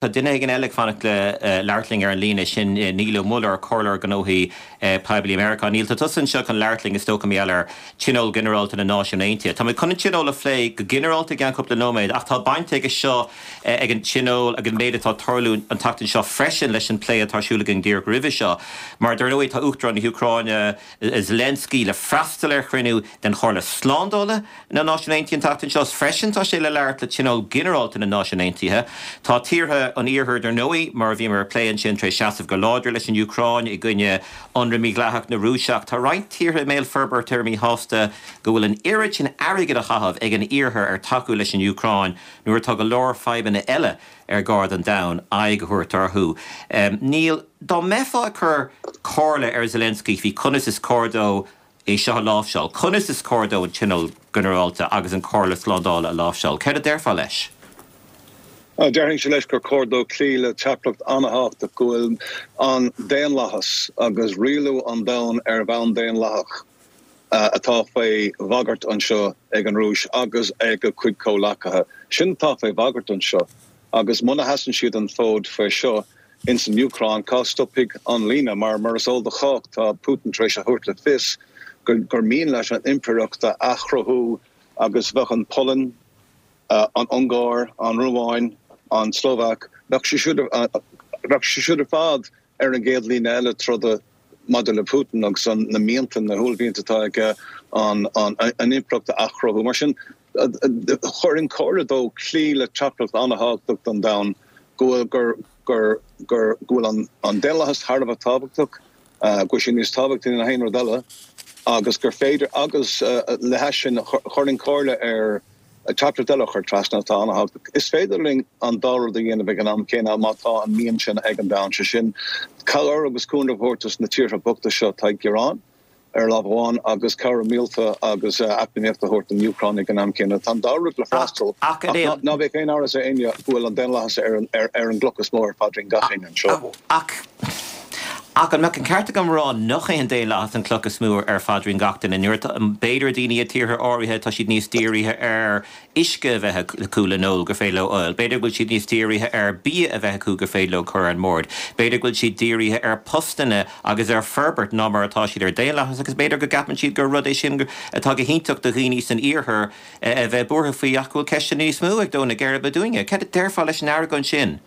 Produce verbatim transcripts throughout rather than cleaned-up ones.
Tá duine éigin eile ag fanacht le labhairt linn ar an líne sin Niall Ó Muilleoir Comhairleoir Gnóthaí Poiblí Meiriceá. Niall tá tusa anseo chun labhairt linn is dócha mar gheall ar Tionól Ginearálta na Náisiún Aontaithe. Tá mé chun an tionól a phlé go ginearálta i gceann cúpla nóiméad ach tá baint aige seo ag an tionól ag an méid atá ag tarlú an tseachtain seo freisin leis an plé atá ar siúl againn díreach roimhe seo. Mar dar ndóigh tá Uachtarán na hÚcráine Zelensky le freastal ar chruinniú den Chomhairle Slándála na Náisiún Aontaithe an tseachtain seo freisin tá sé le labhairt le Tionól Ginearálta na Náisiún Aontaithe. Tá tíortha an iarthair dar ndóigh mar a bhí mar plé ansin tar éis seasamh go láidir leis an Úcráin i gcoinne ionradh mídhleathach na Rúise ach tá roinnt tíortha i mbéal forbartha míshásta go bhfuil an oiread sin airgid á chaitheamh ag an iarthar ar tacú leis an Úcráin nuair atá go leor fadhbanna eile ar gá don domhan aghaidh a thabhairt orthu. Um, Niall dá mbeifeá ag cur comhairle ar Zelensky faoi conas is cóir dó é seo a láimhseáil, conas is cóir dó an tionól ginearálta agus an Chomhairle Slándála a láimhseáil, Céard a déarfá leis? Déarfainnse leis gur chóir dó cloí le teachtaireacht an-tábhachtach go bhfuil an daonlathas agus rialú an domhain ar bhonn daonlathach atá faoi bhagairt anseo ag an Rúis agus ag a cuid comhleacaithe. Sin atá faoi bhagairt anseo agus muna sheasann siad an fód faoi seo ins an Úcráin cá stopfaidh an líne mar mar is eol do chách tá Putin tar éis a thabhairt le fios gur mian leis an impireacht a athchruthú agus bheadh an Pholainn, an Ungáir, an Rómáin, an Slóvaic, bheadh siad ar fad ar an gcéad líne eile troda maidir le Putin agus an na mianta na huaillmhianta atá aige an an impireacht a athchruthú. Mar sin chuirfinn comhairle dó cloí le teachtaireacht an-tábhachtach don domhan go bhfuil gur gur gur go bhfuil an an daonlathas thar a bheith tábhachtach, go bhfuil sé níos tábhachtaí ná aon rud eile agus gur féidir agus le hais sin chuirfinn comhairle air teachtaireacht eile a chur trasna atá an-tábhachtach. Is féidir linn an dá rud a dhéanamh ag an am céanna má tá an mian sin ag an domhan sé sin cabhair agus cúnamh a thabhairt dos na tíortha bochta seo atá ag gearán ar lámh amháin agus cabhair mhíleata agus eacnamaíocht a thabhairt don Úcráin ag an am céanna. Tá an dá rud le freastal ach ná bheadh aon amhras ar éinne go bhfuil an daonlathas ar an ar an gcloch is mó ar phaidrín gach éinne anseo. Ach Ach an mbeadh an ceart agam rá nach é an daonlathas an chloch is mó ar phaidrín gach duine nuair b'fhéidir daoine i tíortha áirithe tá siad níos dírithe ar uisce a bheith acu le n-ól gur féidir leo ól. B'fhéidir go bhfuil siad níos dírithe ar bia a bheith acu gur féidir leo cur ar an mbord. B'fhéidir go bhfuil siad dírithe ar postanna agus ar forbairt ná mar atá siad ar daonlathas agus b'fhéidir go gceapann siad gur rud é sin atá go hiontach do dhaoine san iarthar a bheith buartha faoi ach go bhfuil ceisteanna níos mó ag dó na geirbe dúinne. Céard a déarfá leis an argóint sin?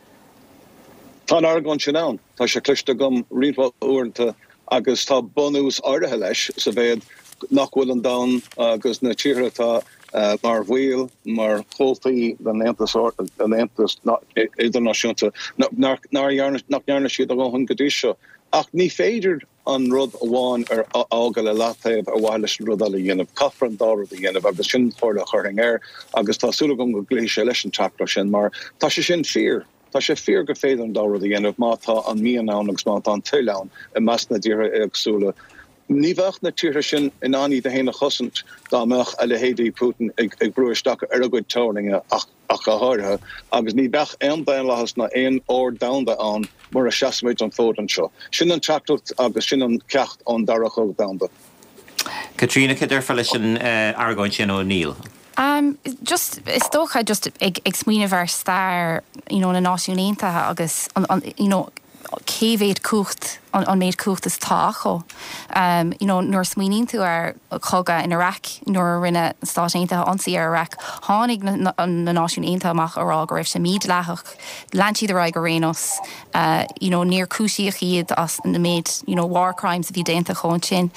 Tá an argóint sin ann, tá sé cloiste agam roinnt mhaith uaireanta agus tá bunús áirithe leis sa mhéid nach bhfuil an domhan agus na tíortha atá mar bhaill, mar chomhaltaí den Aontas den Aontas Idirnáisiúnta, nach ndearna siad a ndóthain go dtí seo. Ach ní féidir an rud amháin a fhágáil i leataobh ar mhaithe leis an rud eile a dhéanamh. Caithfear an dá rud a dhéanamh agus sin an chomhairle a chuirfinn air agus tá súil agam go gcloífidh sé leis an teachtaireacht sin mar tá sé sin fíor. Tá sé fíor gur féidir an dá rud a dhéanamh má tá an mian ann agus má tá an toil ann i measc na dtíortha éagsúla. Ní bheadh na tíortha sin in ann iad féin a chosaint dá mbeadh a leithéidí Putin ag ag brú isteach ar a gcuid teorainneacha ach ach go háirithe, agus ní bheadh aon daonlathas ná aon ord domhanda ann mura seasfaimid an fód anseo. Sin an teachtaireacht agus sin an ceacht ón Dara Cogadh Domhanda. Caitríona, cad déarfá leis an argóint sin ó Niall? Um, just is dócha just ag, ag smaoineamh ar stair you know, na Náisiún Aontaithe agus an, an, you know, cé mhéad cumhacht an, an méid cumhacht is atá acu. Um, you know, nuair smaoiníonn tú ar chogadh in Iraq nuair a rinne Stáit Aontaithe ionsaí ar Iraq, tháinig na, na, na Náisiún Aontaithe amach á rá go raibh sé mídhleathach, lean siad ar aghaidh ar aon nós, uh, you know, níor cúisíodh iad as na méid you know, war crimes a bhí déanta acu ansin.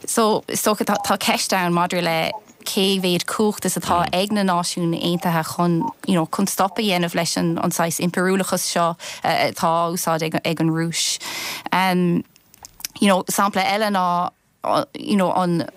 So so tá, tá ceist ann maidir le cé mhéad cumhacht is atá ag na Náisiún Aontaithe chun you know, chun stop a dhéanamh leis an, an saghas impiriúlachas seo uh, atá úsáid ag, ag an Rúis. Um, you know, sampla eile ná you know, an,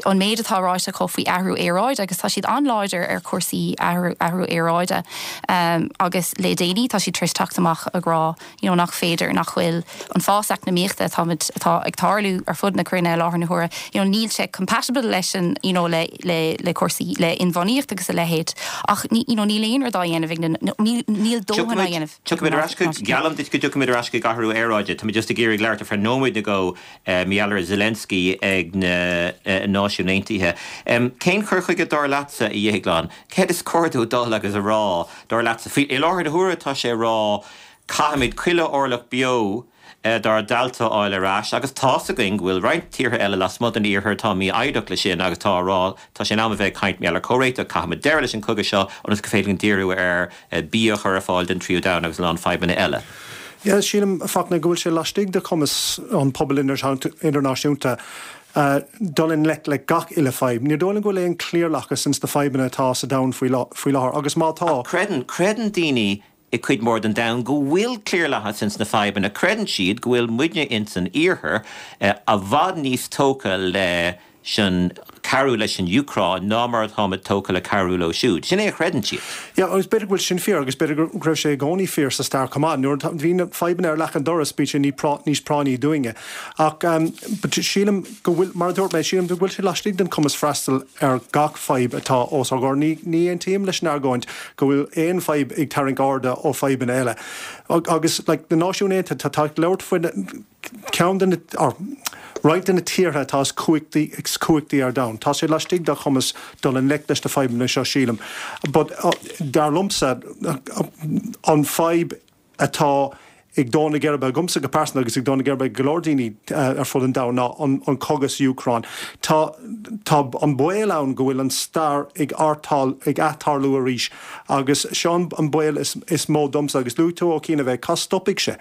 an méid atá ráite acu faoi athrú aeráide agus tá siad an-láidir ar chúrsaí athrú, athrú aeráide um, agus le déanaí tá siad tar éis teacht amach ag rá you know, nach féidir nach bhfuil an fás eacnamaíochta atá atá ag tarlú ar fud na cruinne láthair na huaire you know, níl sé compatible leis an you know, le, le, le cúrsaí le inbhuanaitheacht agus a leithéid ach ní, you know, níl aon rud á dhéanamh níl dóthain á dhéanamh. Tiocfaimid ar ais go geallaim duit go dtiocfaimid ar ais go athrú aeráide, Tá just ag iarraidh labhairt ar feadh nóiméad go mar gheall ar Zelensky ag na Náisiún Náisiún Aontaithe. Cén cur chuige dar leatsa a Dhéagláin? Céard is cóir dó dul agus a rá dar leatsa? Faoi i láthair na huaire tá sé ag rá caithfimid chuile orlach beo dár dtailte a fháil ar ais agus tá's againn go bhfuil roinnt tíortha eile lasmuigh den iarthar atá mífhoighdeach leis sin agus tá á rá tá sé in am a bheith ag caint mar gheall ar chomhréiteach, caithfimid deireadh leis an chogadh seo ionas gur féidir linn díriú ar bia a chur ar fáil don tríú domhan agus a lán fadhbanna eile. Yeah, sílim Fachtna go bhfuil sé laistigh de chumas an pobal idirnáisiúnta dul i ngleic le gach uile fadhb. Ní dóigh liom go bhfuil aon cliarlathas ins na fadhbanna atá sa domhan faoi láthair agus má tá. Creideann, creideann daoine i cuid mór den domhan go bhfuil cliarlathas ins na fadhbanna, creideann siad go bhfuil muidne ins an iarthar i bhfad níos tógtha leis an cabhrú leis an Úcráin ná mar atáimid tógtha le cabhrú leo siúd. Sin é a chreideann siad. Yeah, agus b'fhéidir go bhfuil sin fíor agus b'fhéidir go raibh sé i gcónaí fíor sa stair chomh maith. Nuair a bhí na fadhbanna ar leac an dorais bíonn sé níos práinní dúinne. Ach um, but sílim go bhfuil, mar a dúirt mé, sílim go bhfuil sé laistigh den chumas freastal ar gach fadhb atá os ár gcomhair. Ní, ní aontaím leis an argóint go bhfuil aon fadhb ag tarraingt airde ó fadhbanna eile. Agus like, na Náisiúin Aontaithe tá tá labhairt faoi ceann de na roinnt de na tíortha atá is cumhachtaí is cumhachtaí ar domhan. Tá sé laistigh dá chumas dul i ngleic leis na fadhbanna seo sílim. But uh, dar liomsa an fadhb atá ag dó na geirbe agamsa go pearsanta agus ag dó na geirbe go leor daoine uh, ar fud an domhain ná an, an cogadh sa Úcráin. Tá, tá an baol ann go bhfuil an stair ag artáil ag atarlú arís agus seo an baol is, is mó domsa agus luaigh tú ó cína bheith cá stopfaidh sé.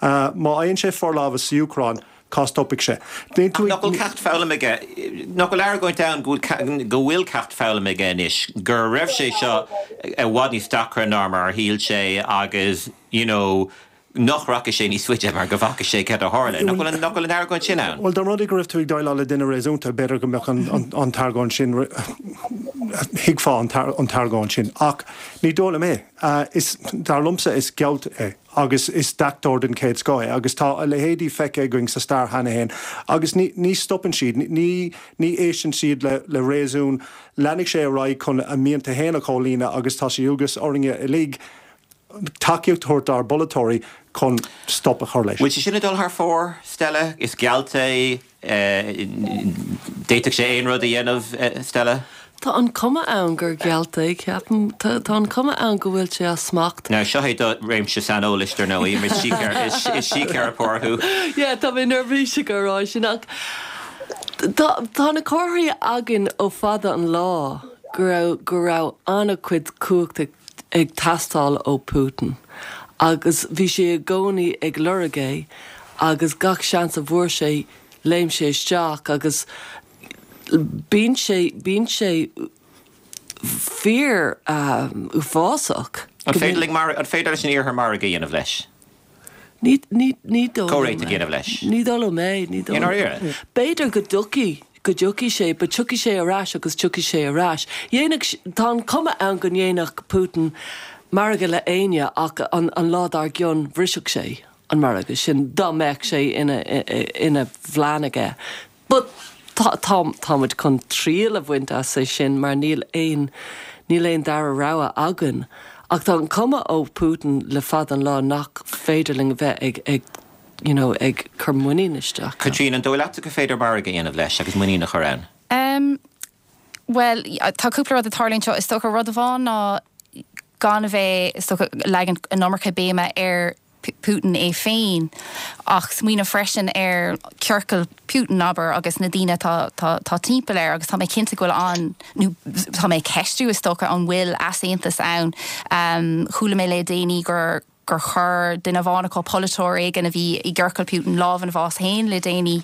Uh, má fhaigheann sé forlámhas sa Úcráin, cá stopfaidh sé. Nach bhfuil ceacht foghlamtha aige nach bhfuil argóint ann go bhfuil ceacht foghlamtha aige anois, go raibh sé seo i bhfad níos deacra ná mar a shíl sé agus you know, nach rachaidh sé níos faide mar go bhfaca sé céard a tharla. Nach bhfuil nach bhfuil an argóint sin ann. Well, dá mba rud é go raibh tú ag déileáil le duine réasúnta b'fhéidir go mbeadh an, an, an t-argóint sin thuigfeá an, an t-argóint sin. Ach ní dóigh liom é. Uh, is dar liomsa is gealt é agus is deachtóir den chéad scoth é agus tá a leithéidí feicthe againn sa stair cheana féin agus ní, ní stopann siad ní, ní éisteann siad le, le réasún leanfaidh sé ar aghaidh chun a mianta féin a chomhlíonadh agus tá sé agus orainne uilig tacaíocht a thabhairt dár bpolaiteoirí chun stop a chur leis. Bhfuil sé sin ag dul thar fóir Stella is gealt é d'fhéadfadh sé aon rud a dhéanamh Stella? Tá an cuma ann gur gealt é ceapaim tá an cuma ann go bhfuil sé as smacht. Now seo é do réimse saineolais ar ndóigh is síceiripeoir thú. Yeah, tá mé neirbhíseach ag rá sin ach Tá na comharthaí againn ó fada an lá go raibh go raibh an-chuid cumhachta ag teastáil ó Putin. Agus bhí sé i gcónaí ag lorg é agus gach seans a bhfuair sé léim sé isteach agus bíonn sé bíonn sé fíor um, uafásach. An féidir mar an féidir leis an iarthar margadh a dhéanamh leis? Ní ní ní dó Comhréiteach a dhéanamh leis. Ní dóigh liom é ní dó. B'fhéidir go dtiocfaidh go dtiocfaidh sé, but tiocfaidh sé ar ais agus tiocfaidh sé ar ais. Dhéanfadh tá an cuma ann go ndéanfadh Putin margadh le éinne ach an, an lá dár gcionn bhrisfeadh sé an margadh sin dá mbeadh sé ina, ina phlean aige. But tá táimid chun triail a bhaint as é sin mar níl aon níl aon dara rogha againn. Ach tá an cuma ó Putin le fada an lá nach féidir linn bheith ag, ag you know, ag cur muinín isteach. Caitríona an dóigh leat go féidir margadh a dhéanamh leis agus muinín a chur ann. Um, well, tá cúpla rud ag tarlú anseo is dócha rud amháin ná gan a bheith is dócha leagan an iomarca béime ar Putin é féin ach smaoineamh freisin ar ciorcal Putin abair agus na daoine tá, tá, tá timpeall air agus tá mé cinnte go bhfuil an nó tá mé ceistiú is dócha an bhfuil easaontas ann um, chuala mé le déanaí gur gur chuir duine amháin acu polaiteoir éigin a bhí i gciorcal Putin lámh ina bhás féin le déanaí.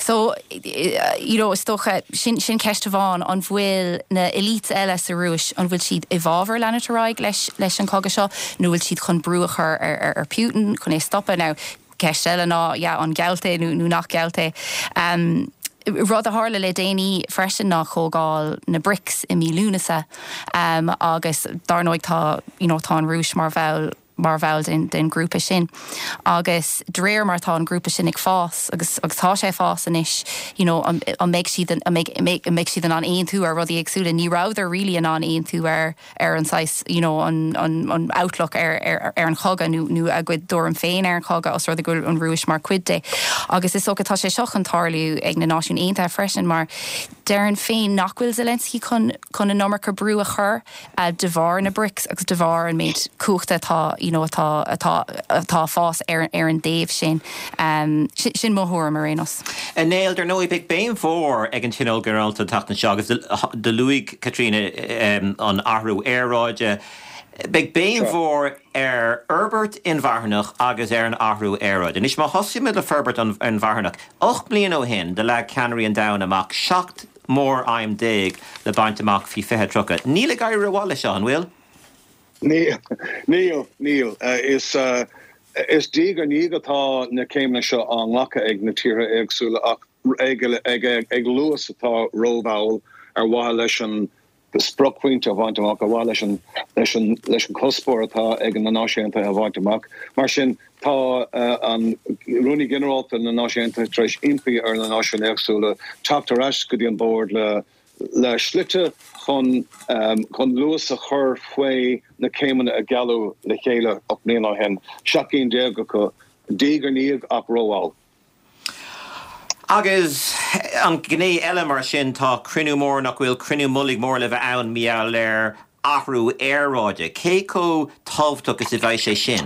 So you know, is dócha sin sin ceist amháin an bhfuil na elites eile sa Rúis an bhfuil siad i bhfabhar leanúint ar aghaidh leis leis an cogadh seo nó bhfuil siad chun brú a chur ar, ar, ar Putin chun é stopadh now ceist eile ná yeah, an gealt é nó, nó nach gealt é. Um, rud a tharla le déanaí freisin ná comhdháil na BRICS i mí Lúnasa um, agus dar ndóigh tá you know, tá an Rúis mar bhall mar bhall den, den grúpa sin. Agus de réir mar tá an grúpa sin ag fás agus agus tá sé ag fás anois, you know, an, an mbeidh siad an mbeidh an mbeidh siad in ann aontú ar rudaí éagsúla, ní rabhadar really in ann aontú ar ar an saghas, you know, an, an, an outlook ar, ar, ar an chogadh nó, nó a gcuid tuairim féin ar an chogadh os rud é go bhfuil an Rúis mar chuid de. Agus is dócha tá sé seo chun tarlú ag na Náisiúin Aontaithe freisin mar déarfainn féin nach bhfuil Zelensky chun chun an iomarca brú a chur uh, de bharr na BRICS agus de bharr an méid cumhachta atá you know, atá atá atá fás ar ar an dtaobh sin um, sin, sin mo thuairim ar aon nós. A Néill, dar ndóigh beidh béim mhór ag an Tionól Ginearálta an tseachtain seo agus do luaigh Caitríona um, an athrú aeráide. Beidh béim mhór ar fhorbairt inmharthanach agus ar an athrú aeráide. Anois má thosaímid le forbairt inmharthanach. Ocht mbliana ó shin do leag ceannairí an domhain amach seacht mór-aidhm déag le baint amach faoi fiche tríocha. Níl ag éirí rómhaith leis seo an bhfuil? Níl níl níl is uh, is diaidh ar ndiaidh atá na céimeanna seo á nglacadh ag na tíortha éagsúla ach ag, ag, ag, ag luas atá rómhall ar mhaithe leis an spriocphointe a bhaint amach ar mhaithe leis an leis an leis an cuspóir atá ag na Náisiúin Aontaithe a bhaint amach. Mar sin tá uh, an Rúnaí Ginearálta na Náisiún Aontaithe tar éis impí ar na náisiúin éagsúla teacht ar ais go dtí an bord le le slite chun um, chun luas a chur faoi na céimeanna a gealladh le chéile ocht mbliana ó shin seacht gcinn déag acu diaidh ar ndiaidh ach rómhall. Agus an gné eile mar sin tá cruinniú mór nach bhfuil cruinniú mullaigh mór le bheith ann maidir le athrú aeráide. Cé chomh tábhachtach is a bheidh sé sin?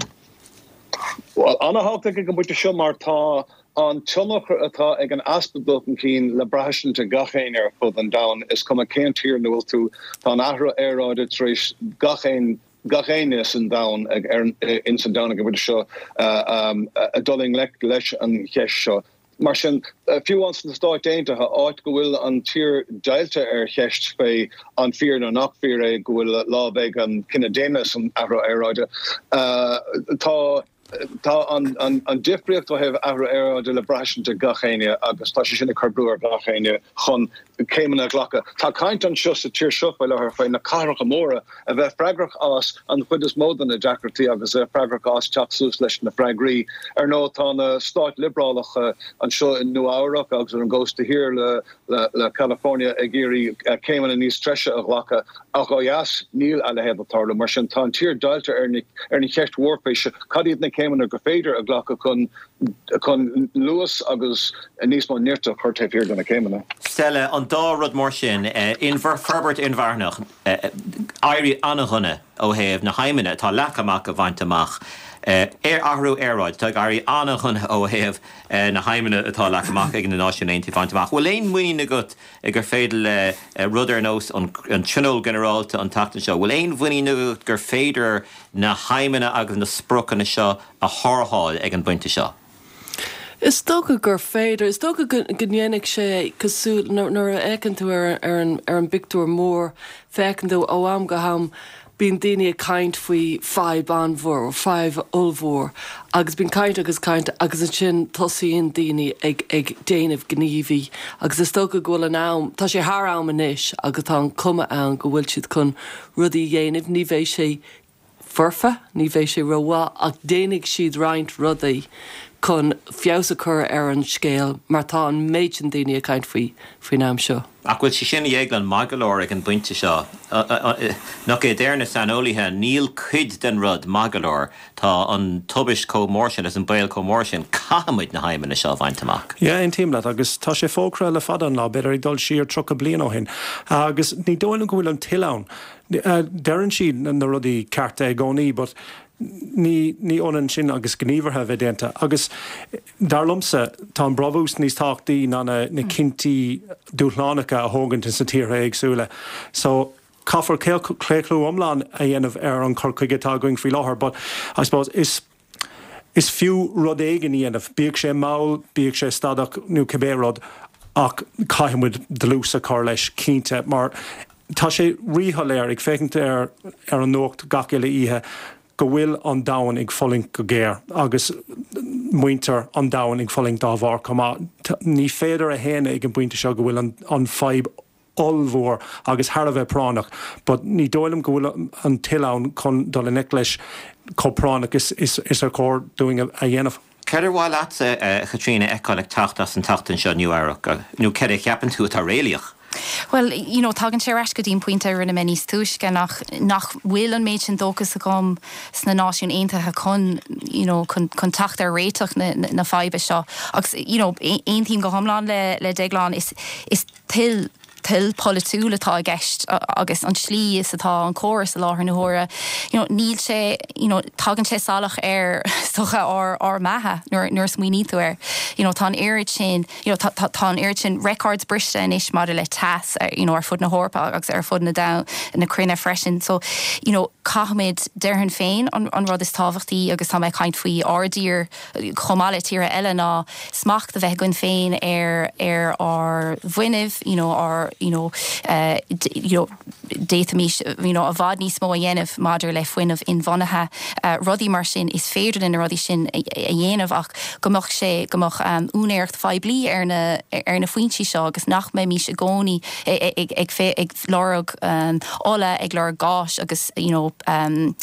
Well an-tábhachtach ag an bpointe seo mar tá an tionchar atá ag an easpa dul chun cinn le braithstint ag gach éinne ar fud an domhain is cuma cén tír ina bhfuil tú tá an athrú aeráide tar éis gach aon gach éinne san domhan ag ar in san domhan ag an bpointe seo uh, um, a dul i ngleic leis an cheist seo. Mar sin fiú amháin sna Stáit Aontaithe áit go bhfuil an tír deighilte ar cheist faoi an fíor nó nach fíor é go bhfuil lámh ag an cine daonna san athrú aeráide. Uh, tá tá an, an, an difríocht ó thaobh athrú aeráide le braithstint ag gach éinne agus tá sé sin ag cur brú ar gach éinne chun céimeanna a ghlacadh. Tá caint anseo sa tír seo faoi láthair faoi na cathracha móra a bheith freagrach as an chuid is mó de na deacrachtaí agus a freagrach as teacht suas leis na freagraí. Ar ndóigh tá na stáit liobrálacha anseo in Nua-Eabhrac agus ar an gcósta thiar le, le, le California ag iarraidh céimeanna níos treise a ghlacadh ach ó dheas níl a leithéid ag tarlú mar sin tá an tír deighilte ar na ar na cheist mhór faoi cad iad na céimeanna gur féidir a ghlacadh chun chun luas agus níos mó nirt a chur taobh thiar de na céimeanna. Stella an dá rud mór sin in forbairt inmharthanach éirí an-dhona ó thaobh na haidhmeanna atá leagtha amach a bhaint amach. Ar athrú aeráide tá éirí an-dhona ó thaobh na haidhmeanna atá leagtha amach ag na Náisiúin Aontaithe bhaint amach. Bhfuil aon mhuinín agat gur féidir le rud ar nós an Tionól Ginearálta an tseachtain seo, Bhfuil aon mhuinín agat gur féidir na haidhmeanna agus na spriocanna seo a shárú ag an bpointe seo. Is dócha gur féidir, is dócha go ndéanfaidh sé cosúil nuair a fhéachann tú ar ar an ar an bpictiúr mór féachann tú ó am go ham bíonn daoine ag caint faoi fadhb an-mhór, fadhb ollmhór, agus bíonn caint agus caint agus ansin tosaíonn daoine ag ag déanamh gníomhaí agus is dócha go bhfuil an am tá sé thar am anois agus tá an cuma ann go bhfuil siad chun rudaí a dhéanamh, ní bheidh sé foirfe, ní bheidh sé rómhaith ach déanfaidh siad roinnt rudaí chun feabhas a chur ar an scéal mar tá an méid sin daoine ag caint faoi faoin am seo. Ach bhfuil sé sin éaglán maith go leor ag an bpointe seo nach é deir na saineolaithe níl cuid den rud maith go leor tá an tubaiste chomh mór sin is an baol chomh mór sin caithfimid na haidhmeanna seo a bhaint amach. Ja aontaím leat agus tá sé fógartha le fada an lá b'fhéidir ag dul siar tríocha bliain ó shin agus ní dóigh liom go bhfuil an toil ann. Deireann siad na rudaí cearta i gcónaí, but ní ní ionann sin agus gníomhartha bheith déanta. Agus dar liomsa tá an brabús níos tábhachtaí ná na, na cinntí dúshlánacha a thógaint sna tíortha éagsúla. So caithfear claochlú iomlán a dhéanamh ar an chur chuige atá againn faoi láthair, but I suppose is is fiú rud éigin a dhéanamh, bíodh sé mall, bíodh sé stadach nó cibé rud ach caithfimid dlús a chur leis cinnte mar tá sé ríshoiléir ag féachaint ar ar an nuacht gach uile oíche go bhfuil an domhan ag fulaingt go géar agus muintir an domhain ag fulaingt dá bharr chomh maith. Ní féidir a shéanadh ag an bpointe seo go bhfuil an, an fadhb ollmhór agus thar a bheith práinneach, but ní dóigh liom go bhfuil an toil ann chun dul i ngleic leis chomh práinneach is is is ar chóir dúinn a dhéanamh. Céard ar mhaith leatsa, a Chaitríona, a fheiceáil ag teacht as an tseachtain seo Nua-Eabhrac, nó céard a cheapann tú atá réalaíoch? Well, you know, tagann sé ar ais go dtí an pointe a rinne mé níos túisce nach nach bhfuil an méid sin dóchas agam sna Náisiúin Aontaithe chun you know, chun, chun teacht ar réiteach na, na, na faidhbe seo. Agus you know, aontaím go hiomlán le, le Deaglán is, is toil toil polaitiúil atá i gceist agus an slí is atá an córas i láthair na huaire. You know, níl sé you know, tagann sé salach ar socha ár ár mbeatha nuair nuair a smaoiníonn tú air. You know, tá an oiread sin you know, tá, tá, tá an oiread sin records briste anois maidir le teas you know, ar fud na hEorpa agus ar fud na da na cruinne freisin. So you know, caithfimid déarfainn féin an, an rud is tábhachtaí agus tá mé ag caint faoi ár dtír chomh maith le tíortha eile ná smacht a bheith againn féin ar ar ár bhfuinneamh you know, ár you know, uh, you know, d'fhéadfaimis you know, i bhfad níos mó a dhéanamh maidir le fuinneamh inbhuanaithe uh, rudaí mar sin is féidir na rudaí sin a, a dhéanamh ach go mbeadh sé go mbeadh um, úinéireacht phoiblí ar na ar na foinsí seo agus nach mbeimis i gcónaí ag, ag, ag, ag lorg um, ola ag lorg gáis agus you know, um,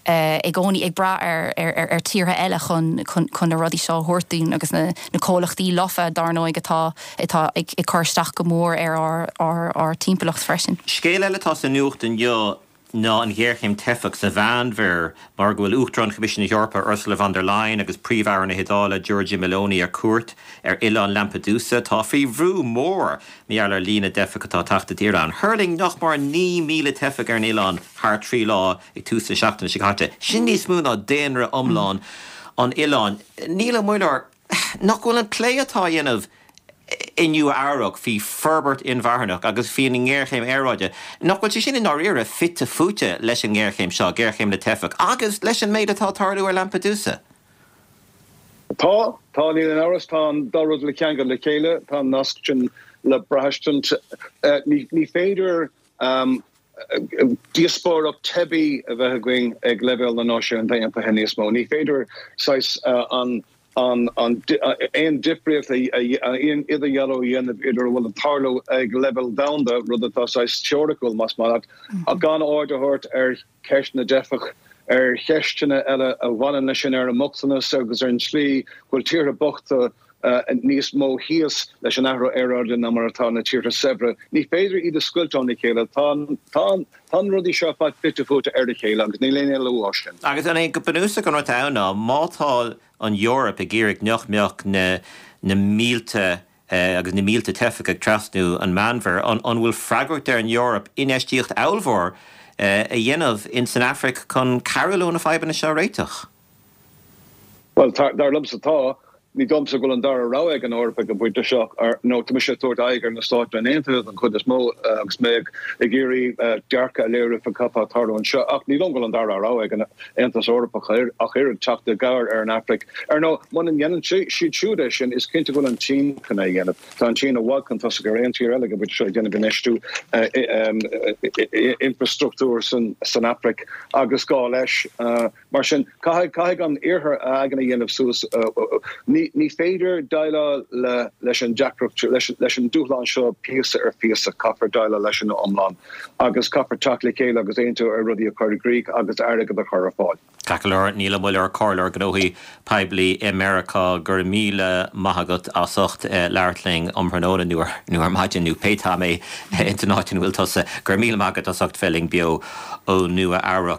uh, i gcónaí ag brath ar, ar, ar, ar tíortha eile chun, chun, chun na rudaí seo a thabhairt dúinn agus na, na comhlachtaí lofa dar ndóigh atá atá ag, ag cur isteach go mór ar ár, ár, ár timpeallacht freisin. Scéal eile atá sa nuacht inniu ná an ghéarchéim teifeach sa Mheánmhuir mar go bhfuil Uachtarán Choimisiún na hEorpa Ursula von der Leyen agus Príomh-Aire na hIodáile Giorgia Meloni ar cuairt ar oileán Lampedusa tá faoi bhrú mór mar gheall ar líon na dteifeach atá ag teacht i dtír ann. Thuirling nach mór naoi míle teifeach ar an oileán thar trí lá ag tús na seachtaine seo caite. Sin níos mó ná daonra iomlán an oileáin. Niall Ó Muilleoir nach bhfuil an plé atá á dhéanamh i Nua-Eabhrac faoi forbairt inmharthanach agus faoin ngéarchéim aeráide. Nach bhfuil sé sin i ndáiríre fite fuaite leis an ngéarchéim seo, géarchéim na dteifeach, agus leis an méid atá ag tarlú ar Lampedusa. Tá tá níl aon amhras tá an dá rud le ceangal le chéile tá an nasc sin le braistint ní, ní féidir um, díospóireacht teibí a bheith againn ag leibhéal na Náisiún Aontaithe níos mó. Ní féidir saghas uh, an an an aon difríocht aon idirdhealú a dhéanamh idir a bhfuil ag tarlú ag leibhéal domhanda rud atá saghas teoiriciúil más maith leat ach gan aird a thabhairt ar cheist na dteifeach ar cheisteanna eile a bhaineann leis sin ar an mbochtanas agus ar an tslí go bhfuil tíortha bochta uh, níos mó thíos leis an athrú aeráide ná mar atá na tíortha saibhre. Ní féidir iad a scoilt óna chéile tá tá tá rudaí seo fad fite fuaite ar a chéile agus níl aon éalú as sin. Agus an é go bunúsach an rud ann ná má tá an Eoraip ag iarraidh nach mbeadh na na mílte uh, agus na mílte teifeach ag trasnú an Mheánmhuir an, an bhfuil freagracht ar an Eoraip infheistíocht ollmhór uh, a dhéanamh in san Afraic chun cabhrú leo na fadhbanna seo a réiteach. Well dar liomsa tá ní dóigh liomsa go bhfuil an dara rogha ag an Eoraip ag an bpointe seo ar nó tá mise ag tabhairt aghaidh ar na Stáit Aontaithe an chuid is mó agus mé ag iarraidh dearcadh a léiriú faoi cad atá ag tarlú anseo ach ní dóigh liom go bhfuil an dara rogha ag an Aontas Eorpach ach oiread teacht i gcabhair ar an Afraic. Ar ndóigh muna ndéanann siad siúd é sin is cinnte go bhfuil an tSín chun é a dhéanamh. Tá an tSín i bhfad chun tosaigh ar aon tír eile ag an bpointe seo ag déanamh infheistiú infrastruchtúr san san Afraic agus gá leis. Mar sin caithfidh caithfidh an iarthar a aigne a dhéanamh suas ní ní féidir déileáil le leis an deacracht leis leis an dúshlán seo píosa ar phíosa caithfear déileáil leis an iomlán agus caithfear teacht le chéile agus aontú ar rudaí a chur i gcrích agus airgead a chur ar fáil. Ceart go leor Niall Ó Muilleoir comhairleoir gnóthaí poiblí i Meiriceá go raibh míle maith agat as ucht labhairt linn um thráthnóna nó nó ar maidin nó pé am é in áit ina bhfuil tusa go raibh míle maith agat as ucht bheith linn beo ó Nua Eabhrac.